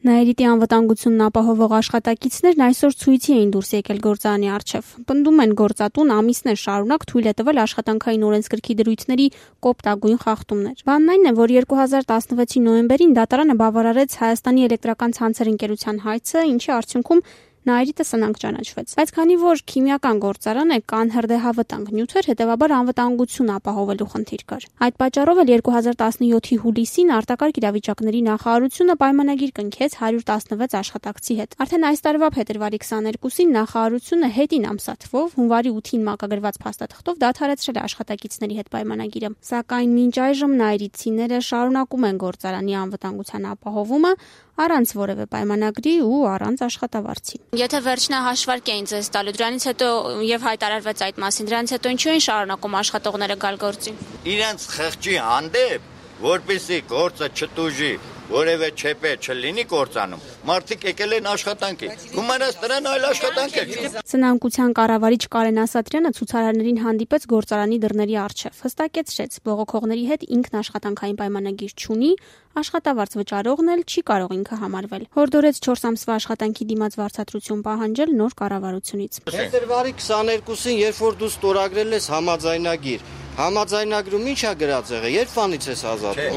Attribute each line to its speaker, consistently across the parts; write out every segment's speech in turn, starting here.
Speaker 1: Նաիրիտի անվտանգությունն ապահովող աշխատակիցներն այսօր ցույցի էին դուրս եկել գործարանի առջև։ Պնդում են, գործատուն ամիսներ շարունակ թույլ է տվել աշխատանքային օրենսգրքի դրույթների կոպտագույն խախտումներ։ Բանն այն է, որ 2016-ի նոյեմբերին դատարանը բավարարեց Հայաստանի էլեկտրական ցանցեր ընկերության հայցը, ինչի արդյունքում Նաիրիտը սնանկ ճանաչվեց։ Բայց քանի որ քիմիական գործարան է, կան հրդեհավտանգ նյութեր, հետևաբար անվտանգություն ապահովելու խնդիր կար։ Այդ պատճառով էլ 2017-ի հուլիսին արտակարգ իրավիճակների նախարարությունը պայմանագիր կնքեց 116 աշխատակցի հետ։ Արդեն այս տարվա փետրվարի 22-ին նախարարությունը հետին ամսաթվով հունվարի 8-ին մակագրված փաստաթղթով դադարեցրել է աշխատակիցների հետ պայմանագիրը։ Սակայն մինչ այժմ նաիրիտցիները շարունակում են գործարանի անվտանգության ապահովումը առանց որևէ պայմանագրի ու առանց աշխատավարձի։ Եթե վերջնահաշվարկ էին ձեզ տալու, դրանից հետո եւ հայտարարվեց այդ մասին, դրանից հետո ինչու են շարունակում աշխատողները գալ գործին։
Speaker 2: Իրենց խղճի հանդեպ, որպեսզի գործը չտուժի, որևէ չեպե չլինի գործանում, մարդիկ եկել են աշխատանքի։ Գումարած դրան այլ աշխատանք է։
Speaker 1: Սնանկության կառավարիչ Կարեն Ասատրյանը ցուցարարներին հանդիպեց գործարանի դռների առջև, հստակեցրեց, բողոքողների հետ ինքն աշխատանքային պայմանագիր չունի, աշխատավարձ վճարողն էլ չի կարող ինքը համարվել։ Հորդորեց 4 ամսվա աշխատանքի դիմաց վարձատրություն պահանջել նոր կառավարությունից։
Speaker 3: Փետրվարի 22-ին, երբ որ դու ստորագրել ես համաձայնագիր, համաձայնագրում ի՞նչ է գրած եղել, երբ վանից ես ազատվել։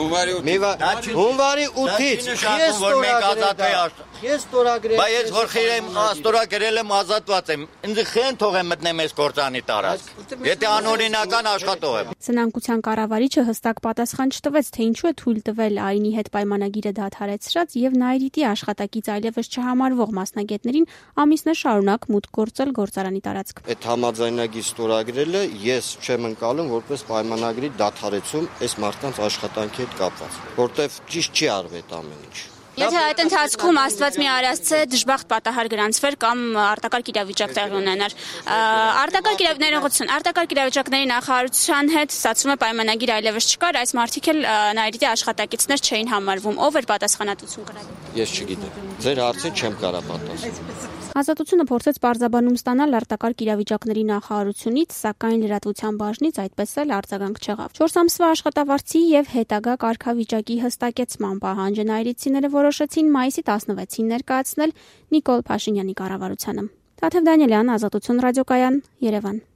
Speaker 3: Հունվարի 8-ից ես ստորագրել։
Speaker 2: Բայց ես որ ստորագրել եմ ազատված եմ, ինձ խեն թողեմ մտնեմ այս գործանի տարածք։ Եթե անօրինական աշխատող եմ։
Speaker 1: Սնանկության կառավարիչը հստակ պատասխան չտվեց, թե ինչու է թույլ տվել ԱԻՆ-ի հետ պայմանագիրը դադարեցրած եւ Նաիրիտի աշխատակից այլևս չհամարվող մասնագետներին ամիսներ շարունակ մուտք գործել գործարանի տարածք։
Speaker 3: Այդ համաձայնագիր ստորագրելը ես չեմ ընկալում որպես պայմանագրի դադարեցում այս մարդկանց աշխատանքի հետ կապված, որտեվ ճիշտ չի արվի այդ ամեն ինչ։
Speaker 1: Եթե այդ ընթացքում Աստված մի արածցե դժբախտ պատահար գրանցվեր կամ արտակարգ իրավիճակ տեղի ունենար, արտակարգ իրավիճակների նախարարության հետ ստացվում է պայմանագիր այլևս չկար, այս մարդիկ էլ Նաիրիտի աշխատակիցներ չէին համարվում, ով էր պատասխանատվություն կրել։
Speaker 3: Ես չգիտեմ։ Ձեր հարցին չեմ կարող պատասխանել։
Speaker 1: Ազատությունը փորձեց պարզաբանում ստանալ արտակարգ իրավիճակների նախարարությունից, սակայն լրատվության բաժնից այդպես էլ արձագանք չեղավ։ 4 ամսվա աշխատավարձի եւ հետագա կարգավիճակի հստակեցման պահանջը նաիրիտցիները որոշեցին մայիսի 16-ին ներկայացնել Նիկոլ Փաշինյանի կառավարությանը։ Տաթև Դանիելյան, Ազատություն ռադիոկայան, Երևան։